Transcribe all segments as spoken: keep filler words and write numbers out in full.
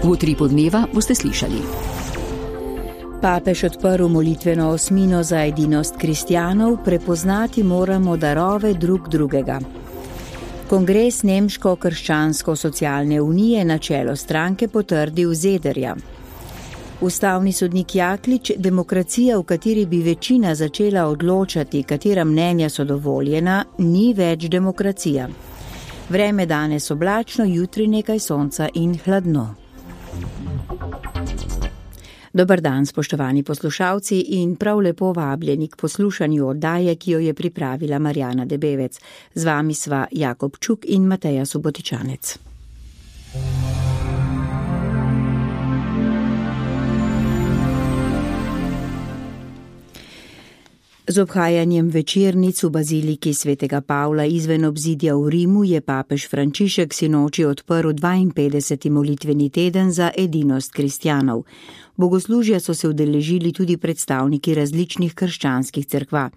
V utripu dneva boste slišali. Papež odprl molitveno osmino za edinost kristjanov, prepoznati moramo darove drug drugega. Kongres Nemško-krščansko-socialne unije na čelo stranke potrdil Zederja. Ustavni sodnik Jaklič, demokracija, v kateri bi večina začela odločati, katera mnenja so dovoljena, ni več demokracija. Vreme danes oblačno, jutri nekaj sonca in hladno. Dober dan, spoštovani poslušalci, in prav lepo vabljeni k poslušanju oddaje, ki jo je pripravila Marjana Debevec. Z vami sva Jakob Čuk in Mateja Subotičanec. Z obhajanjem večernic v baziliki svetega Pavla izven obzidja v Rimu je papež Frančišek sinoči odprl dvainpetdeseti molitveni teden za edinost kristjanov. Bogoslužja so se udeležili tudi predstavniki različnih krščanskih cerkva.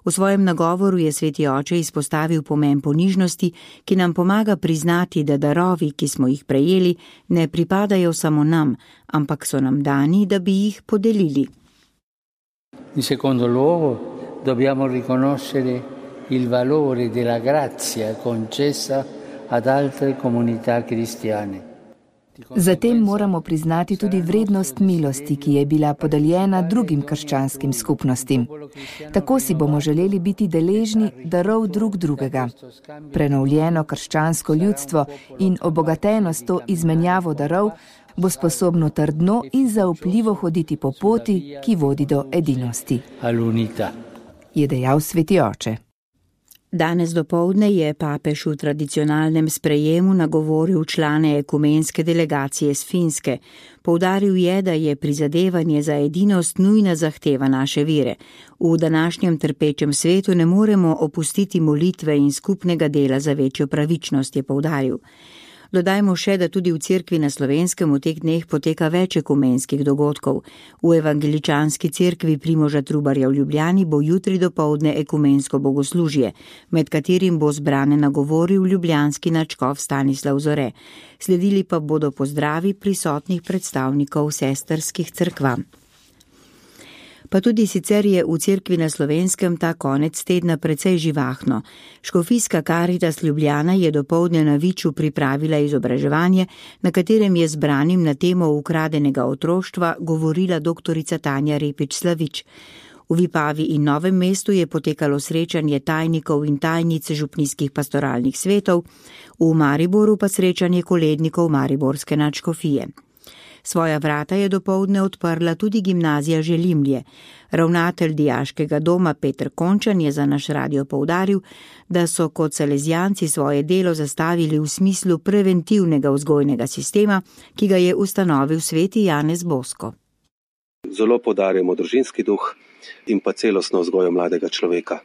V svojem nagovoru je sveti oče izpostavil pomen ponižnosti, ki nam pomaga priznati, da darovi, ki smo jih prejeli, ne pripadajo samo nam, ampak so nam dani, da bi jih podelili. In secondo luogo dobbiamo riconoscere il valore della grazia concessa ad altre comunità cristiane. Zatem moramo priznati tudi vrednost milosti, ki je bila podeljena drugim krščanskim skupnostim. Tako si bomo želeli biti deležni darov drug drugega. Prenovljeno krščansko ljudstvo in obogateno s to izmenjavo darov bo sposobno trdno in zaupljivo hoditi po poti, ki vodi do edinosti, je dejal sveti oče. Danes dopoldne je papež v tradicionalnem sprejemu nagovoril člane ekumenske delegacije z Finske. Poudaril je, da je prizadevanje za edinost nujna zahteva naše vere. V današnjem trpečem svetu ne moremo opustiti molitve in skupnega dela za večjo pravičnost, je poudaril. Dodajmo še, da tudi v cerkvi na Slovenskem v teh dneh poteka več ekumenskih dogodkov. V evangeličanski cerkvi Primoža Trubarja v Ljubljani bo jutri dopoldne ekumensko bogoslužje, med katerim bo zbrane nagovoril ljubljanski nadškof Stanislav Zore. Sledili pa bodo pozdravi prisotnih predstavnikov sestrskih cerkva. Pa tudi sicer je v cerkvi na Slovenskem ta konec tedna precej živahno. Škofijska Karitas Ljubljana je dopoldne na Viču pripravila izobraževanje, na katerem je zbranim na temo ukradenega otroštva govorila doktorica Tanja Repič-Slavič. V Vipavi in Novem mestu je potekalo srečanje tajnikov in tajnic župnijskih pastoralnih svetov, v Mariboru pa srečanje kolednikov Mariborske nadškofije. Svoja vrata je dopoldne odprla tudi gimnazija Želimlje. Ravnatelj dijaškega doma Peter Končan je za naš radio poudaril, da so kot salezijanci svoje delo zastavili v smislu preventivnega vzgojnega sistema, ki ga je ustanovil sveti Janez Bosko. Zelo poudarjamo družinski duh in pa celostno vzgojo mladega človeka.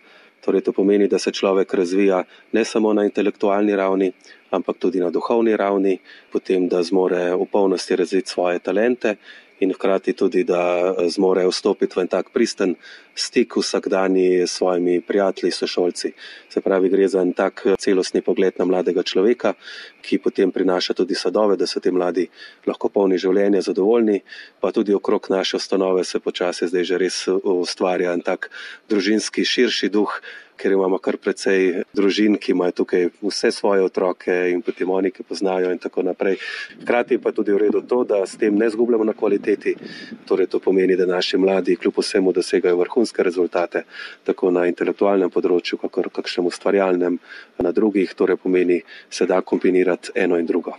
Torej to pomeni, da se človek razvija ne samo na intelektualni ravni, ampak tudi na duhovni ravni, potem da zmore v polnosti razviti svoje talente in hkrati tudi, da zmore vstopiti v en tak pristen stik vsakdanji s svojimi prijatelji, sošolci. Se pravi, gre za en tak celostni pogled na mladega človeka, ki potem prinaša tudi sadove, da so ti mladi lahko polni življenja, zadovoljni, pa tudi okrog naše ustanove se počasi zdaj že res ustvarja en tak družinski širši duh, ker imamo kar precej družin, ki imajo tukaj vse svoje otroke in potem oni, ki poznajo in tako naprej. Hkrati pa tudi v redu to, da s tem ne zgubljamo na kvaliteti, torej to pomeni, da naši mladi kljub vsemu dosegajo vrhunske rezultate, tako na intelektualnem področju, kakor kakšnem ustvarjalnem, na drugih, torej pomeni, se da kombinirati eno in drugo.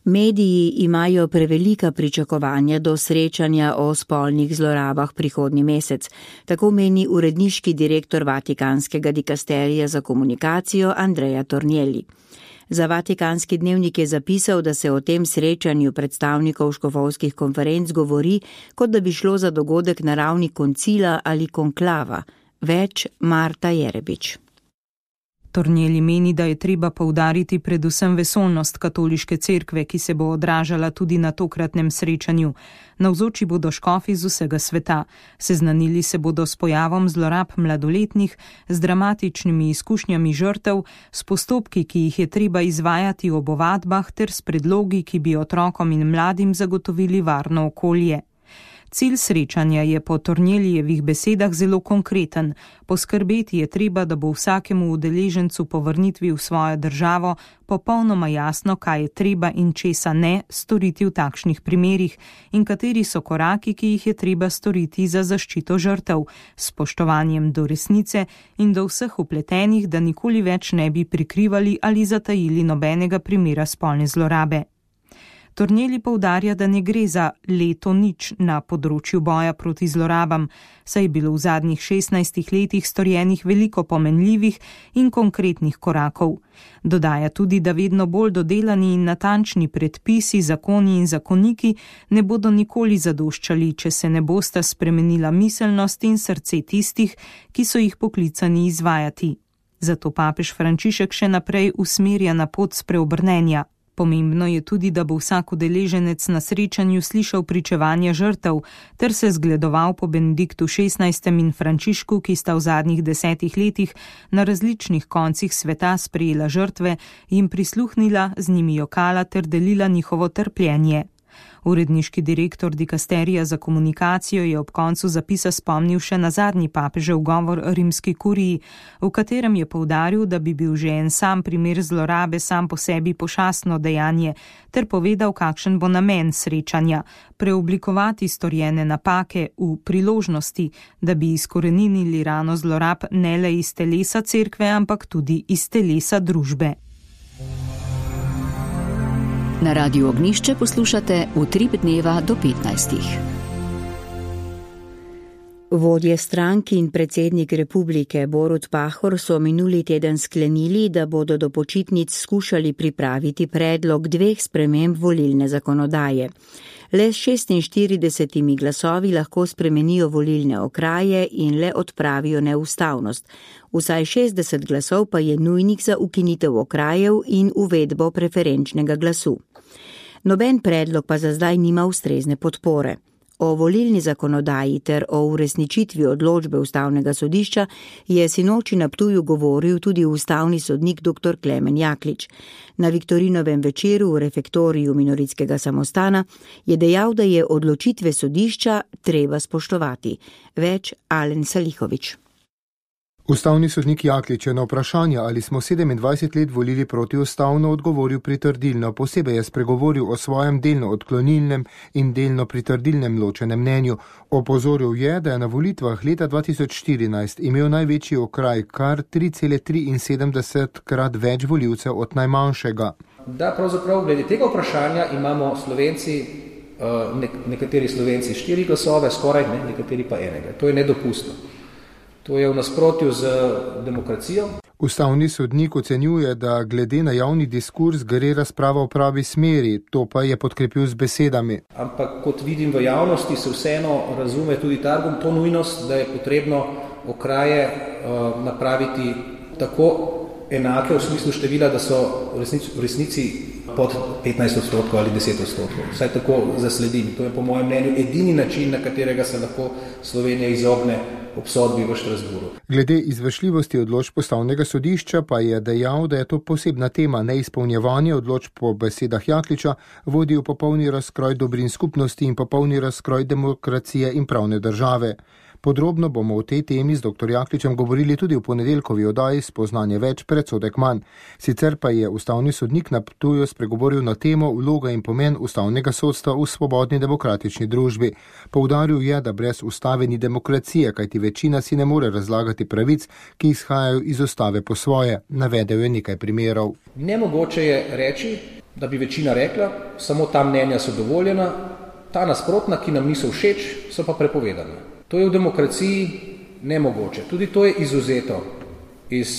Mediji imajo prevelika pričakovanja do srečanja o spolnih zlorabah prihodnji mesec, tako meni uredniški direktor Vatikanskega dikasterija za komunikacijo Andrea Tornielli. Za Vatikanski dnevnik je zapisal, da se o tem srečanju predstavnikov škofovskih konferenc govori, kot da bi šlo za dogodek na ravni koncila ali konklava. Več Marta Jerebič. Tornjeli meni, da je treba poudariti predvsem vesoljnost katoliške cerkve, ki se bo odražala tudi na tokratnem srečanju. Navzoči bodo škofi z vsega sveta. Seznanili se bodo s pojavom zlorab mladoletnih, z dramatičnimi izkušnjami žrtev, s postopki, ki jih je treba izvajati ob ovadbah, ter s predlogi, ki bi otrokom in mladim zagotovili varno okolje. Cilj srečanja je po Tornjelijevih besedah zelo konkreten. Poskrbeti je treba, da bo vsakemu udeležencu po vrnitvi v svojo državo popolnoma jasno, kaj je treba in česa ne storiti v takšnih primerih in kateri so koraki, ki jih je treba storiti za zaščito žrtev, s spoštovanjem do resnice in do vseh vpletenih, da nikoli več ne bi prikrivali ali zatajili nobenega primera spolne zlorabe. Tornjeli poudarja, da ne gre za leto nič na področju boja proti zlorabam, saj je bilo v zadnjih šestnajstih letih storjenih veliko pomenljivih in konkretnih korakov. Dodaja tudi, da vedno bolj dodelani in natančni predpisi, zakoni in zakoniki ne bodo nikoli zadoščali, če se ne bosta spremenila miselnost in srce tistih, ki so jih poklicani izvajati. Zato papež Frančišek še naprej usmerja na pot spreobrnenja. Pomembno je tudi, da bo vsak udeleženec na srečanju slišal pričevanja žrtev ter se zgledoval po Benediktu šestnajstem in Frančišku, ki sta v zadnjih desetih letih na različnih koncih sveta sprejela žrtve, jim prisluhnila, z njimi jokala ter delila njihovo trpljenje. Uredniški direktor dikasterija za komunikacijo je ob koncu zapisa spomnil še na zadnji papežev govor rimski kuriji, v katerem je poudaril, da bi bil že en sam primer zlorabe sam po sebi pošastno dejanje, ter povedal, kakšen bo namen srečanja: preoblikovati storjene napake v priložnosti, da bi izkoreninili rano zlorab ne le iz telesa cerkve, ampak tudi iz telesa družbe. Na Radiu Ognjišče poslušate Utrip dneva do petnajstih. Vodje strank in predsednik republike Borut Pahor so minuli teden sklenili, da bodo do počitnic skušali pripraviti predlog dveh sprememb volilne zakonodaje. Le s šestinštiridesetimi glasovi lahko spremenijo volilne okraje in le odpravijo neustavnost. Vsaj šestdeset glasov pa je nujnih za ukinitev okrajev in uvedbo preferenčnega glasu. Noben predlog pa za zdaj nima ustrezne podpore. O volilni zakonodaji ter o uresničitvi odločbe Ustavnega sodišča je sinoči na Ptuju govoril tudi ustavni sodnik dr. Klemen Jaklič. Na Viktorinovem večeru v refektoriju Minoritskega samostana je dejal, da je odločitve sodišča treba spoštovati. Več Alen Salihovič. Ustavni sodnik Jaklič je na vprašanje, ali smo sedemindvajset let volili protiustavno, odgovoril pritrdilno. Posebej je spregovoril o svojem delno odklonilnem in delno pritrdilnem ločenem mnenju. Opozoril je, da je na volitvah leta dva tisoč štirinajst imel največji okraj kar tri cele triinsedemdeset krat več volivcev od najmanjšega. Da, pravzaprav glede tega vprašanja imamo Slovenci, nekateri Slovenci štiri glasove, skoraj ne, nekateri pa enega. To je nedopustno. To je v nasprotju z demokracijo. Ustavni sodnik ocenjuje, da glede na javni diskurs gre razprava v pravi smeri, to pa je podkrepil z besedami. Ampak kot vidim v javnosti, se vseeno razume tudi ta argument, to nujnost, da je potrebno okraje uh, napraviti tako enake v smislu števila, da so v resnici, v resnici pod petnajst odstotkov ali deset odstotkov. Vsaj tako zasledim. To je po mojem mnenju edini način, na katerega se lahko Slovenija izogne obsodbi v Štrasburu. Glede izvršljivosti odločb Ustavnega sodišča pa je dejal, da je to posebna tema. Neizpolnjevanje odločb po besedah Jakliča vodi v popolni razkroj dobrin skupnosti in popolni razkroj demokracije in pravne države. Podrobno bomo o tej temi z dr. Jakličem govorili tudi v ponedeljkovi oddaji Spoznanje več, predsodek manj. Sicer pa je ustavni sodnik na Ptuju spregovoril na temo vloga in pomen ustavnega sodstva v svobodni demokratični družbi. Poudaril je, da brez ustave ni demokracije, kajti večina si ne more razlagati pravic, ki izhajajo iz ustave po svoje. Navedel je nekaj primerov. Nemogoče je reči, da bi večina rekla, samo ta mnenja so dovoljena, ta nasprotna, ki nam niso všeč, so pa prepovedana. To je v demokraciji nemogoče. Tudi to je izuzeto iz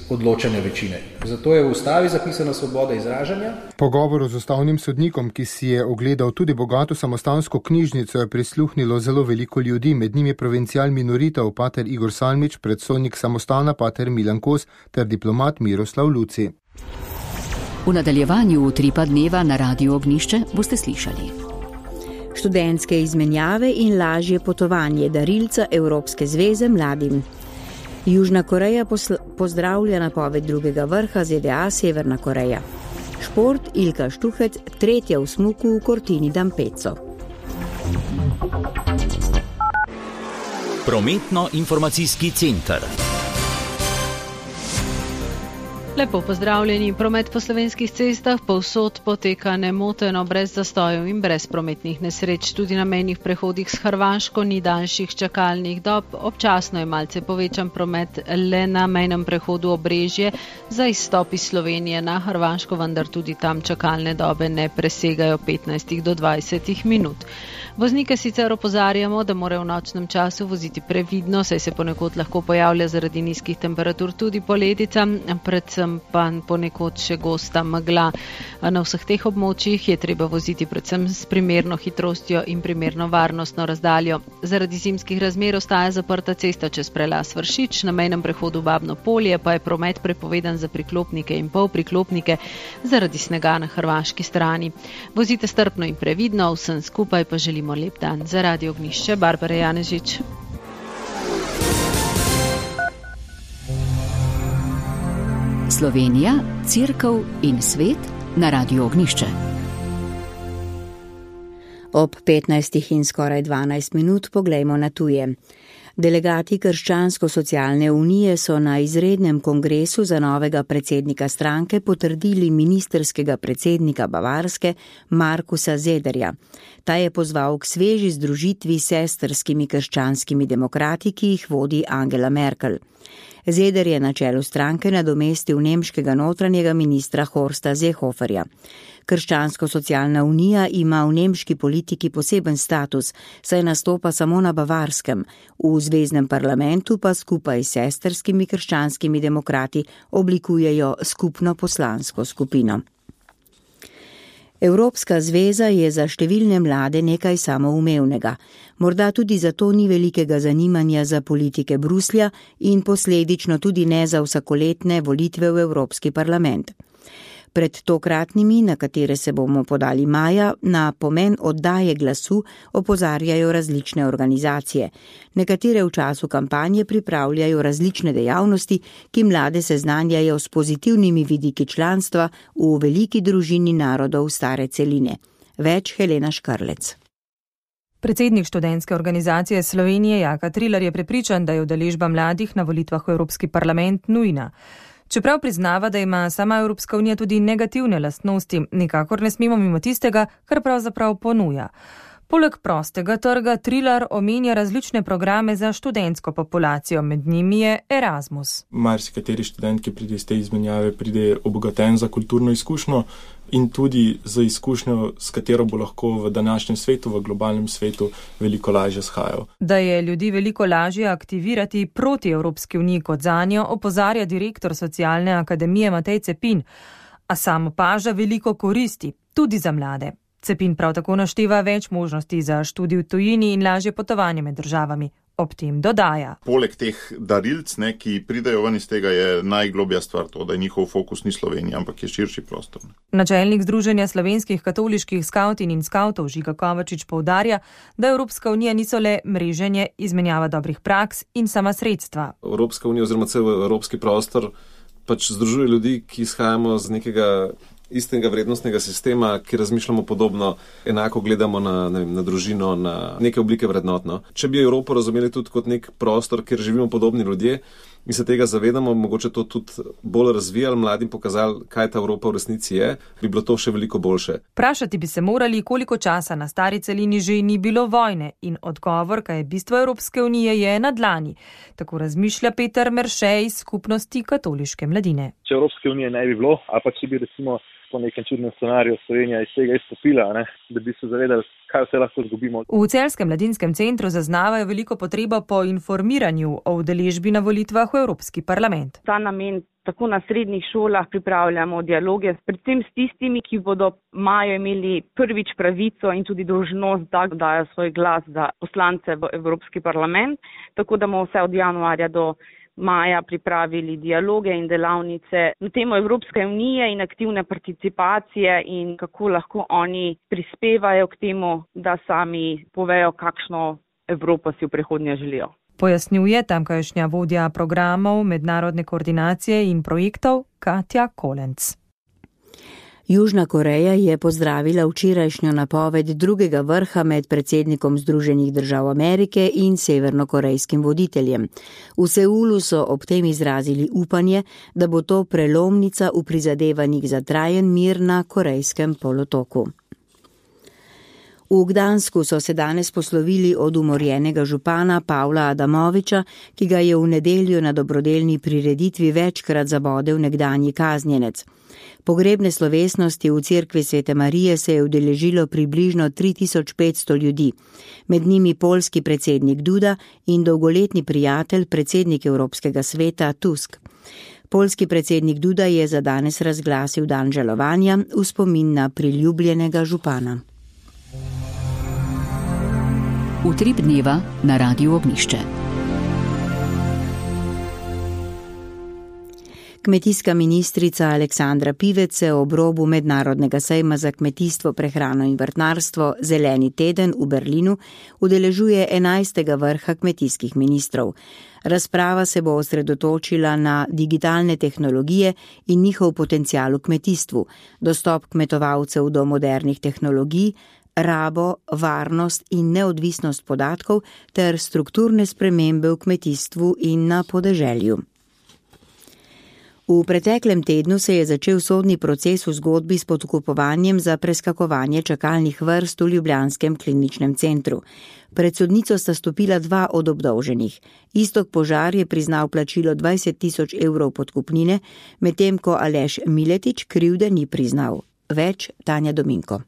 odločanja večine. Zato je v ustavi zapisana svoboda izražanja. Pogovoru z ustavnim sodnikom, ki si je ogledal tudi bogato samostansko knjižnico, je prisluhnilo zelo veliko ljudi, med njimi provincial minoritev pater Igor Salmič, predstojnik samostana pater Milan Kos ter diplomat Miroslav Luci. V nadaljevanju Utripa dneva na Radiu Ognišče boste slišali študentske izmenjave in lažje potovanje darilca Evropske zveze mladim. Južna Koreja posl- pozdravlja napoved drugega vrha Z D A Severna Koreja. Šport Ilka Štuhec, tretja v smuku v Cortini d'Ampezzo. Prometno-informacijski center. Lepo pozdravljeni. Promet po slovenskih cestah povsod poteka nemoteno, brez zastojev in brez prometnih nesreč. Tudi na mejnih prehodih s Hrvaško ni daljših čakalnih dob. Občasno je malce povečan promet le na mejnem prehodu Obrežje za izstop iz Slovenije na Hrvaško, vendar tudi tam čakalne dobe ne presegajo petnajst do dvajset minut. Voznike sicer opozarjamo, da morajo v nočnem času voziti previdno, saj se ponekod lahko pojavlja zaradi nizkih temperatur tudi poledica, predvsem pa ponekod še gosta megla. Na vseh teh območjih je treba voziti predvsem s primerno hitrostjo in primerno varnostno razdaljo. Zaradi zimskih razmer ostaja zaprta cesta čez prelaz Vršič, na mejnem prehodu Babno Polje pa je promet prepovedan za priklopnike in polpriklopnike zaradi snega na hrvaški strani. Vozite strpno in previdno, vsem skupaj pa želimo lep dan. Za Radio Ognišče, Barbara Janežič. Slovenija, Cerkev in svet na Radiu Ognišče. Ob petnajstih in skoraj dvanajst minut poglejmo na tuje. Delegati Krščansko-socialne unije so na izrednem kongresu za novega predsednika stranke potrdili ministerskega predsednika Bavarske Markusa Zederja. Ta je pozval k sveži združitvi s sestrskimi krščanskimi demokrati, ki jih vodi Angela Merkel. Zeder je na čelu stranke nadomestil nemškega notranjega ministra Horsta Seehoferja. Krščansko-socialna unija ima v nemški politiki poseben status, saj nastopa samo na Bavarskem, v zveznem parlamentu pa skupaj s sestrskimi krščanskimi demokrati oblikujejo skupno poslansko skupino. Evropska zveza je za številne mlade nekaj samoumevnega. Morda tudi zato ni velikega zanimanja za politike Bruslja in posledično tudi ne za vsakoletne volitve v Evropski parlament. Pred tokratnimi, na katere se bomo podali maja, na pomen oddaje glasu opozarjajo različne organizacije. Nekatere v času kampanje pripravljajo različne dejavnosti, ki mlade seznanjajo s pozitivnimi vidiki članstva v veliki družini narodov stare celine. Več Helena Škarlec. Predsednik študentske organizacije Slovenije Jaka Trilar je prepričan, da je udeležba mladih na volitvah v Evropski parlament nujna. Čeprav priznava, da ima sama Evropska unija tudi negativne lastnosti, nikakor ne smemo mimo tistega, kar pravzaprav ponuja. Poleg prostega trga Trilar omenja različne programe za študentsko populacijo, med njimi je Erasmus. Marsikateri študent, ki pride iz te izmenjave, pride obogaten za kulturno izkušnjo in tudi za izkušnjo, s katero bo lahko v današnjem svetu, v globalnem svetu, veliko lažje shajal. Da je ljudi veliko lažje aktivirati proti Evropski uniji kot zanjo, opozarja direktor Socialne akademije Matej Cepin, a sam opaža veliko koristi, tudi za mlade. Cepin prav tako našteva več možnosti za študij v tujini in lažje potovanje med državami. Ob tem dodaja. Poleg teh darilc, ne, ki pridejo ven iz tega, je najglobja stvar to, da je njihov fokus ni Slovenija, ampak je širši prostor. Načelnik Združenja slovenskih katoliških skavtin in skavtov Žiga Kovačič poudarja, da Evropska unija niso le mreženje, izmenjava dobrih praks in sama sredstva. Evropska unija oziroma cel evropski prostor pač združuje ljudi, ki izhajamo z nekega istega vrednostnega sistema, ki razmišljamo podobno, enako gledamo na, ne vem, na družino, na neke oblike vrednotno. Če bi Evropo razumeli tudi kot nek prostor, kjer živimo podobni ljudje in se tega zavedamo, mogoče to tudi bolj razvijali, mladim pokazali, kaj ta Evropa v resnici je, bi bilo to še veliko boljše. Vprašati bi se morali, koliko časa na stari celini že ni bilo vojne in odgovor, kaj je bistvo Evropske unije, je na dlani. Tako razmišlja Peter Merše iz skupnosti katoliške mladine. Če Evropske unije ne bi bilo, ali pa če bi recimo po nekem čudnem scenariju Slovenija iz tega izstopila, ne? Da bi se zavedali, kaj vse lahko zgubimo. V Celjskem mladinskem centru zaznavajo veliko potrebo po informiranju o udeležbi na volitvah v Evropski parlament. Ta namen tako na srednjih šolah pripravljamo dialoge, predvsem s tistimi, ki bodo majo imeli prvič pravico in tudi dolžnost, da dajo svoj glas za poslance v Evropski parlament, tako da bomo vse od januarja do maja pripravili dialoge in delavnice na temo Evropske unije in aktivne participacije in kako lahko oni prispevajo k temu, da sami povejo, kakšno Evropo si v prihodnje želijo. Pojasnjuje tamkajšnja vodja programov mednarodne koordinacije in projektov Katja Kolenc. Južna Koreja je pozdravila včerajšnjo napoved drugega vrha med predsednikom Združenih držav Amerike in severnokorejskim voditeljem. V Seulu so ob tem izrazili upanje, da bo to prelomnica v prizadevanjih za trajen mir na korejskem polotoku. V Gdansku so se danes poslovili od umorjenega župana Pavla Adamoviča, ki ga je v nedeljo na dobrodelni prireditvi večkrat zabodel nekdanji kaznjenec. Pogrebne slovesnosti v cerkvi Svete Marije se je udeležilo približno tri tisoč petsto ljudi, med njimi poljski predsednik Duda in dolgoletni prijatelj predsednik Evropskega sveta Tusk. Poljski predsednik Duda je za danes razglasil dan žalovanja v spomin na priljubljenega župana. Utrip dneva na Radiu Ognišče. Kmetijska ministrica Aleksandra Pivec se ob robu mednarodnega sejma za kmetijstvo, prehrano in vrtnarstvo Zeleni teden v Berlinu udeležuje enajstega vrha kmetijskih ministrov. Razprava se bo osredotočila na digitalne tehnologije in njihov potencial v kmetijstvu, dostop kmetovalcev do modernih tehnologij, rabo, varnost in neodvisnost podatkov ter strukturne spremembe v kmetijstvu in na podeželju. V preteklem tednu se je začel sodni proces v zgodbi s podkupovanjem za preskakovanje čakalnih vrst v ljubljanskem kliničnem centru. Pred sodnico sta stopila dva od obdolženih. Iztok Požar je priznal plačilo dvajset tisoč evrov podkupnine, medtem ko Aleš Miletič krivde ni priznal. Več Tanja Dominko.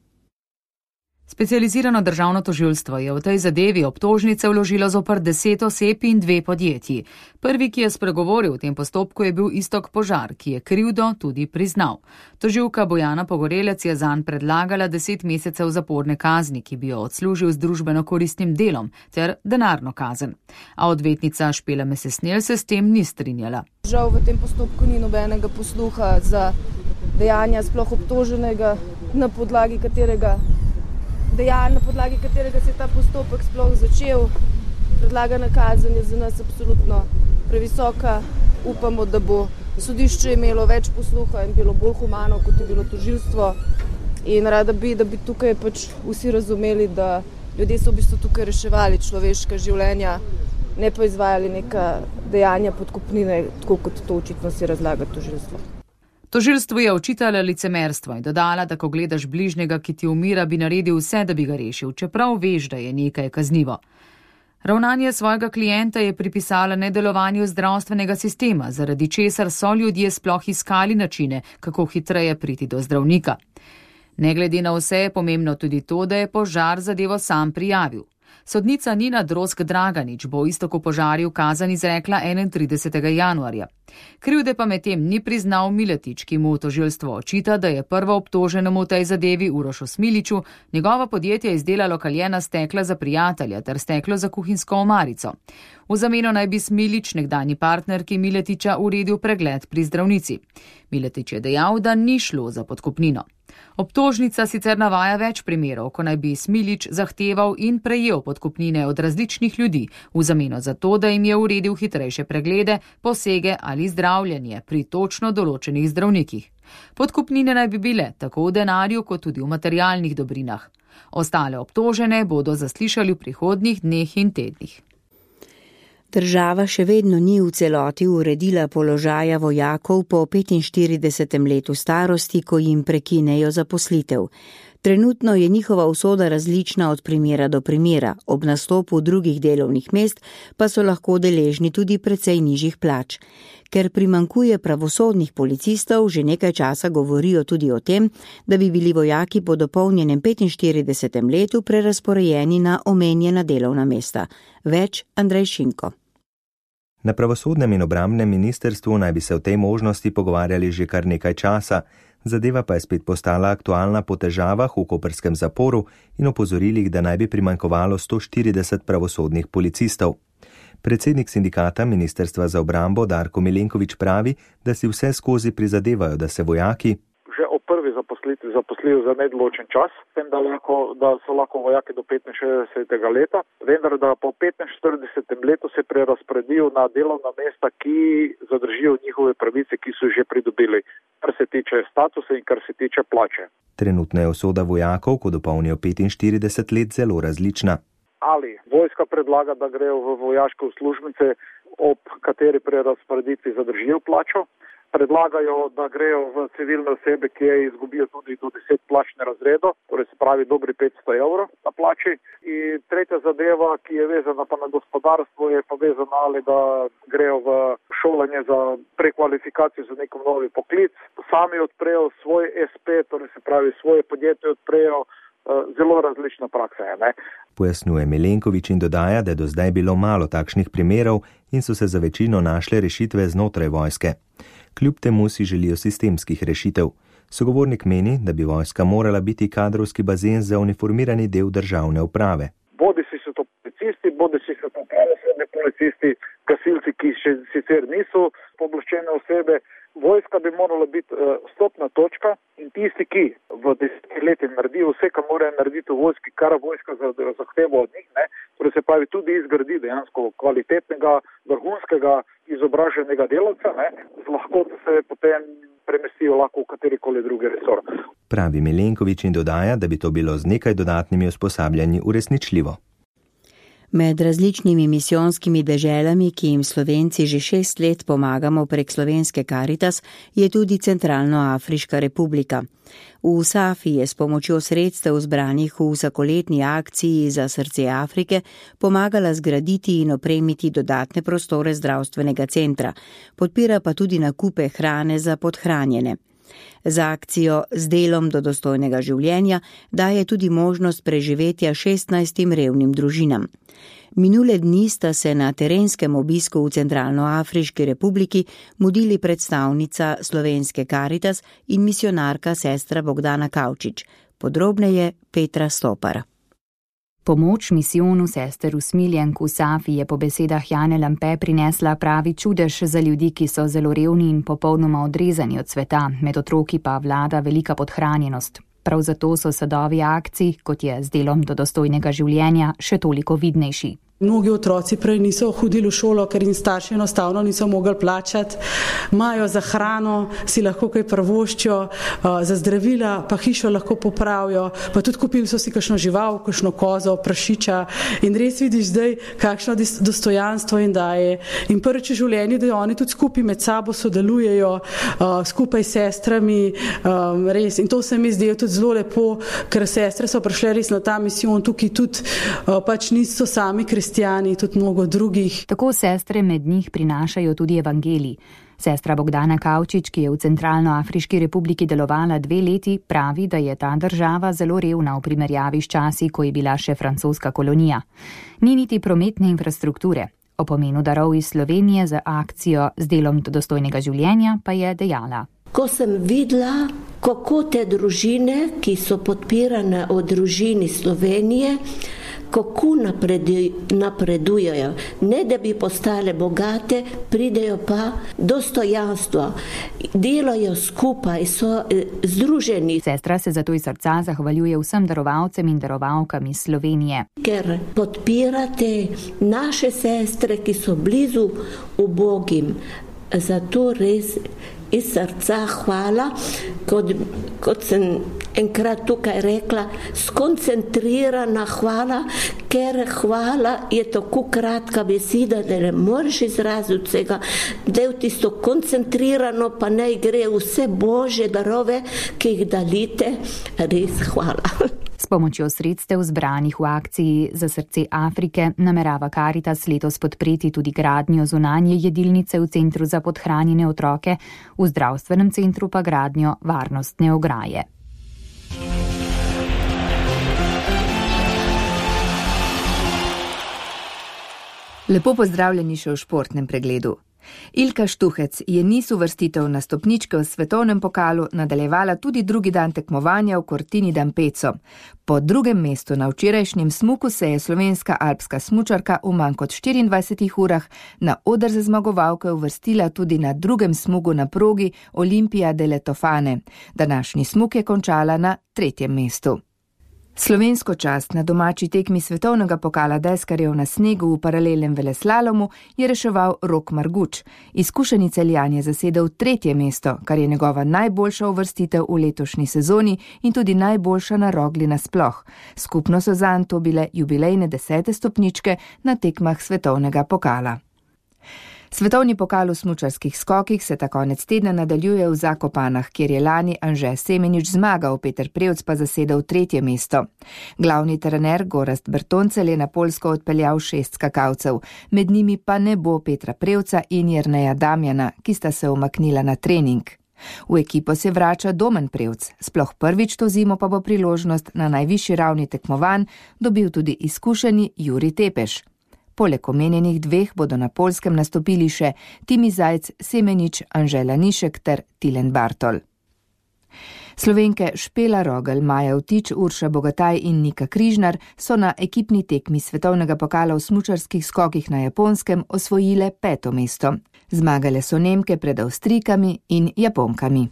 Specializirano državno tožilstvo je v tej zadevi obtožnice vložilo zoper deset oseb in dve podjetji. Prvi, ki je spregovoril v tem postopku, je bil Iztok Požar, ki je krivdo tudi priznal. Tožilka Bojana Pogorelec je zanj predlagala deset mesecev zaporne kazni, ki bi jo odslužil z družbeno koristnim delom, ter denarno kazen. A odvetnica Špela Mesesnel se s tem ni strinjala. Žal v tem postopku ni nobenega posluha za dejanja sploh obtoženega, na podlagi katerega dejanj, na podlagi katerega se je ta postopek sploh začel. Predlagana kazen je za nas absolutno previsoka. Upamo, da bo sodišče imelo več posluha in bilo bolj humano, kot je bilo tožilstvo. In rada bi, da bi tukaj pač vsi razumeli, da ljudje so v bistvu tukaj reševali človeška življenja, ne pa izvajali neka dejanja podkupnine, tako kot to očitno si razlaga tožilstvo. Tožilstvu je očitala licemerstvo in dodala, da ko gledaš bližnjega, ki ti umira, bi naredil vse, da bi ga rešil, čeprav veš, da je nekaj kaznivo. Ravnanje svojega klienta je pripisala nedelovanju zdravstvenega sistema, zaradi česar so ljudje sploh iskali načine, kako hitreje priti do zdravnika. Ne glede na vse je pomembno tudi to, da je Požar zadevo sam prijavil. Sodnica Nina Drozg-Draganič bo Istoku Požarju kazen izrekla enaintridesetega januarja. Krivde pa medtem ni priznal Miletič, ki mu tožilstvo očita, da je prvo obtoženemu v tej zadevi Urošu Smiliču njegovo podjetje izdelalo kaljena stekla za prijatelja ter steklo za kuhinjsko omarico. V zameno naj bi Smilič, nekdanji partnerki Miletiča, uredil pregled pri zdravnici. Miletič je dejal, da ni šlo za podkupnino. Obtožnica sicer navaja več primerov, ko naj bi Smilič zahteval in prejel podkupnine od različnih ljudi v zameno za to, da jim je uredil hitrejše preglede, posege ali zdravljenje pri točno določenih zdravnikih. Podkupnine naj bi bile tako v denarju kot tudi v materialnih dobrinah. Ostale obtožene bodo zaslišali v prihodnjih dneh in tednih. Država še vedno ni v celoti uredila položaja vojakov po petinštiridesetem letu starosti, ko jim prekinejo zaposlitev. Trenutno je njihova usoda različna od primera do primera, ob nastopu drugih delovnih mest pa so lahko deležni tudi precej nižjih plač. Ker primankuje pravosodnih policistov, že nekaj časa govorijo tudi o tem, da bi bili vojaki po dopolnjenem petinštiridesetem letu prerazporejeni na omenjena delovna mesta. Več Andrej Šinko. Na pravosodnem in obrambnem ministrstvu naj bi se o tej možnosti pogovarjali že kar nekaj časa, zadeva pa je spet postala aktualna po težavah v koprskem zaporu in opozorilih, da naj bi primanjkovalo sto štirideset pravosodnih policistov. Predsednik sindikata Ministrstva za obrambo Darko Milenkovič pravi, da si vse skozi prizadevajo, da se vojaki že ob prvi zaposlitvi zaposlijo za nedoločen čas, tem, da, lahko, da so lahko vojaki do petinšestdesetega leta, vendar da po petinštiridesetem letu se prerazporedijo na delovna mesta, ki zadržijo njihove pravice, ki so že pridobili, kar se tiče statusa in kar se tiče plače. Trenutna je usoda vojakov, ko dopolnijo petinštirideset let, zelo različna. Ali vojska predlaga, da grejo v vojaške uslužbence, ob kateri prerazporeditvi zadržijo plačo, predlagajo, da grejo v civilne osebe, ki je izgubijo tudi do deset plačnih razredov, torej se pravi dobri petsto evrov na plači. In tretja zadeva, ki je vezana pa na gospodarstvo, je pa vezana ali da grejo v šolanje za prekvalifikacijo za nekom novi poklic, sami odprejo svoj es pe, torej se pravi svoje podjetje odprejo, zelo različna praksa je, ne? Pojasnjuje Milenkovič in dodaja, da je do zdaj bilo malo takšnih primerov in so se za večino našle rešitve znotraj vojske. Kljub temu si želijo sistemskih rešitev. Sogovornik meni, da bi vojska morala biti kadrovski bazen za uniformirani del državne uprave. Bodi si so to policisti, bodi si so to pravosodni policisti, gasilci, ki še sicer niso pooblaščene osebe. Vojska bi morala biti uh, stopna točka in tisti, ki v desetih letih naredijo vse, kar morajo narediti v vojski, kar vojska zahteva od njih, ne, torej se pravi tudi izgradi dejansko kvalitetnega, vrhunskega, izobraženega delavca, ne, z lahkoto se potem premestijo lahko v katerikoli drugi resor. Pravi Milenkovič in dodaja, da bi to bilo z nekaj dodatnimi usposabljanji uresničljivo. Med različnimi misijonskimi deželami, ki jim Slovenci že šest let pomagamo prek slovenske Karitas, je tudi Centralnoafriška republika. V Safi je s pomočjo sredstev zbranih v vsakoletni akciji za srce Afrike pomagala zgraditi in opremiti dodatne prostore zdravstvenega centra, podpira pa tudi nakupe hrane za podhranjene. Za akcijo Z delom do dostojnega življenja daje tudi možnost preživetja šestnajstim revnim družinam. Minule dni sta se na terenskem obisku v Centralnoafriški republiki mudili predstavnica slovenske Karitas in misionarka sestra Bogdana Kavčič. Podrobneje Petra Stopar. Pomoč misijonu sester usmiljenk v Safi je po besedah Jane Lampe prinesla pravi čudež za ljudi, ki so zelo revni in popolnoma odrezani od sveta, med otroki pa vlada velika podhranjenost. Prav zato so sadovi akcij, kot je Z delom do dostojnega življenja, še toliko vidnejši. Mnogi otroci prej niso hodili v šolo, ker jim starši enostavno niso mogli plačati. Imajo za hrano, si lahko kaj privoščijo, za zdravila pa hišo lahko popravijo, pa tudi kupili so si kakšno žival, kakšno kozo, prašiča in res vidiš zdaj, kakšno dostojanstvo jim daje. In prvič v življenju, da oni tudi skupaj med sabo sodelujejo, skupaj s sestrami, res. In to se mi zdi tudi zelo lepo, ker sestre so prišle res na ta misijon, tukaj tudi pač niso sami kristjani, tudi mnogo drugih. Tako sestre med njih prinašajo tudi evangelij. Sestra Bogdana Kavčič, ki je v Centralnoafriški republiki delovala dve leti, pravi, da je ta država zelo revna v primerjavi s časi, ko je bila še francoska kolonija. Ni niti prometne infrastrukture. O pomenu darov iz Slovenije za akcijo Z delom do dostojnega življenja pa je dejala. Ko sem videla, kako te družine, ki so podpirane od družini Slovenije, kako napredujejo, ne da bi postale bogate, pridejo pa dostojanstvo, delajo skupaj, so združeni. Sestra se zato iz srca zahvaljuje vsem darovalcem in darovalkam iz Slovenije. Ker podpirate naše sestre, ki so blizu ubogim, zato res iz srca hvala, kot, kot sem enkrat tukaj rekla, skoncentrirana hvala, ker hvala je tako kratka beseda, da ne moreš izraziti vsega, del tisto koncentrirano, pa naj gre vse Božje darove, ki jih dalite, res hvala. S pomočjo sredstev zbranih v akciji Za srce Afrike namerava Karitas letos podpreti tudi gradnjo zunanje jedilnice v centru za podhranjene otroke, v zdravstvenem centru pa gradnjo varnostne ograje. Lepo pozdravljeni še v športnem pregledu. Ilka Štuhec je niz uvrstitev na stopničke v svetovnem pokalu nadaljevala tudi drugi dan tekmovanja v Cortini d'Ampezzo. Po drugem mestu na včerajšnjem smuku se je slovenska alpska smučarka v manj kot štiriindvajsetih urah na oder za zmagovalke uvrstila tudi na drugem smuku na progi Olimpija delle Tofane. Današnji smuk je končala na tretjem mestu. Slovensko čast na domači tekmi svetovnega pokala deskarjev na snegu v paralelnem veleslalomu je reševal Rok Marguč. Izkušeni Celjan je zasedel tretje mesto, kar je njegova najboljša uvrstitev v letošnji sezoni in tudi najboljša na Rogli nasploh. Skupno so zanj to bile jubilejne desete stopničke na tekmah svetovnega pokala. Svetovni pokal v smučarskih skokih se ta konec tedna nadaljuje v Zakopanah, kjer je lani Anže Semenič zmagal, Peter Prevc pa zasedel tretje mesto. Glavni trener Gorazd Bertoncelj je na Poljsko odpeljal šest skakalcev, med njimi pa ne bo Petra Prevca in Jerneja Damjana, ki sta se umaknila na trening. V ekipo se vrača Domen Prevc, sploh prvič to zimo pa bo priložnost na najvišji ravni tekmovanj dobil tudi izkušeni Juri Tepeš. Poleg omenjenih dveh bodo na Poljskem nastopili še Timi Zajc, Semenič, Anže Lanišek ter Tilen Bartol. Slovenke Špela Rogel, Maja Vtič, Urša Bogataj in Nika Križnar so na ekipni tekmi svetovnega pokala v smučarskih skokih na Japonskem osvojile peto mesto. Zmagale so Nemke pred Avstrijkami in Japonkami.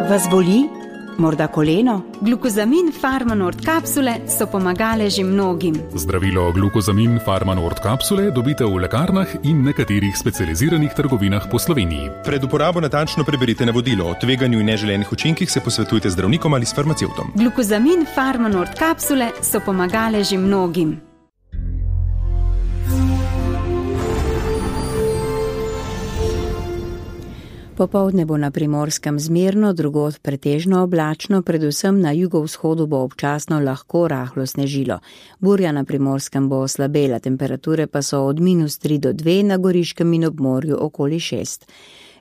Vas boli? Morda koleno? Glukozamin Farmanord kapsule so pomagale že mnogim. Zdravilo glukozamin Farmanord kapsule dobite v lekarnah in nekaterih specializiranih trgovinah po Sloveniji. Pred uporabo natančno preberite navodilo. O tveganju in neželenih učinkih se posvetujte z zdravnikom ali s farmacevtom. Glukozamin Farmanord kapsule so pomagale že mnogim. Popoldne bo na Primorskem zmerno, drugod pretežno oblačno, predvsem na jugovzhodu bo občasno lahko rahlo snežilo. Burja na Primorskem bo oslabela, temperature pa so od minus tri do dve, na Goriškem in ob morju okoli šest.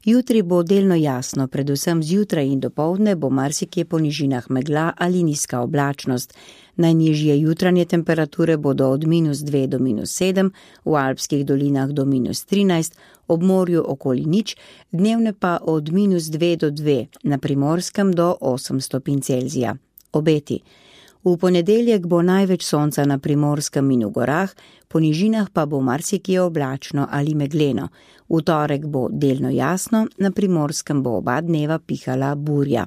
Jutri bo delno jasno, predvsem zjutraj in dopoldne bo marsikje po nižinah megla ali nizka oblačnost. Najnižje jutranje temperature bodo od minus dve do minus sedem, v alpskih dolinah do minus trinajst, ob morju okoli nič, dnevne pa od minus dve do dve, na Primorskem do osem stopinj Celzija. Obeti. V ponedeljek bo največ sonca na Primorskem in v gorah, po nižinah pa bo marsikje oblačno ali megleno. V torek bo delno jasno, na Primorskem bo oba dneva pihala burja.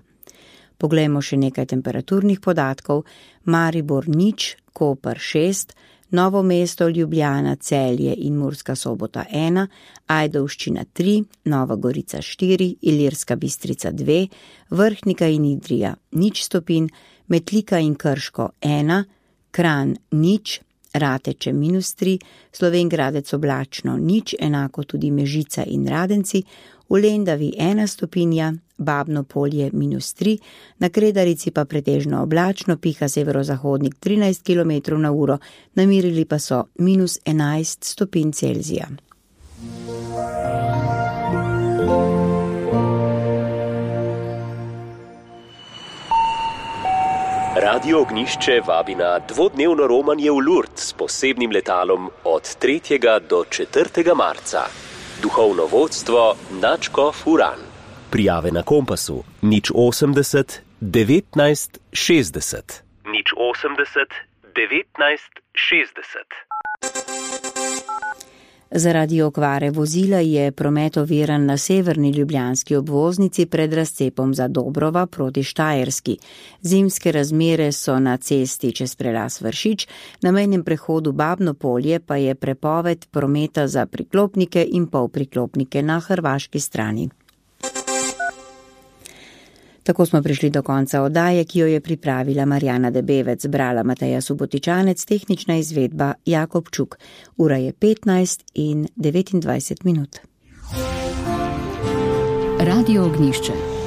Poglejmo še nekaj temperaturnih podatkov. Maribor nič, Koper šest, Novo mesto, Ljubljana, Celje in Murska Sobota ena, Ajdovščina tri, Nova Gorica štiri, Ilirska Bistrica dve, Vrhnika in Idrija nič stopinj, Metlika in Krško ena, Kranj nič, Rateče minus tri, Slovenj Gradec oblačno nič, enako tudi Mežica in Radenci, v Lendavi ena stopinja, Babno Polje minus tri, na Kredarici pa pretežno oblačno, piha severozahodnik trinajst kilometrov na uro, namirili pa so minus enajst stopinj Celzija. Radio Ognišče vabi na dvodnevno romanje v Lourdes s posebnim letalom od tretjega do četrtega marca. Duhovno vodstvo Načko Furan. Prijave na Kompasu nič osemdeset devetnajst šestdeset. nič osemdeset devetnajst šestdeset. Zaradi okvare vozila je promet oviran na severni ljubljanski obvoznici pred razcepom za Dobrova proti Štajerski. Zimske razmere so na cesti čez prelas Vršič, na mejnem prehodu Babno polje pa je prepoved prometa za priklopnike in polpriklopnike na hrvaški strani. Tako smo prišli do konca oddaje, ki jo je pripravila Marjana Debevec, brala Mateja Subotičanec, tehnična izvedba Jakob Čuk. Ura je petnajst in devetindvajset minut. Radio Ognjišče.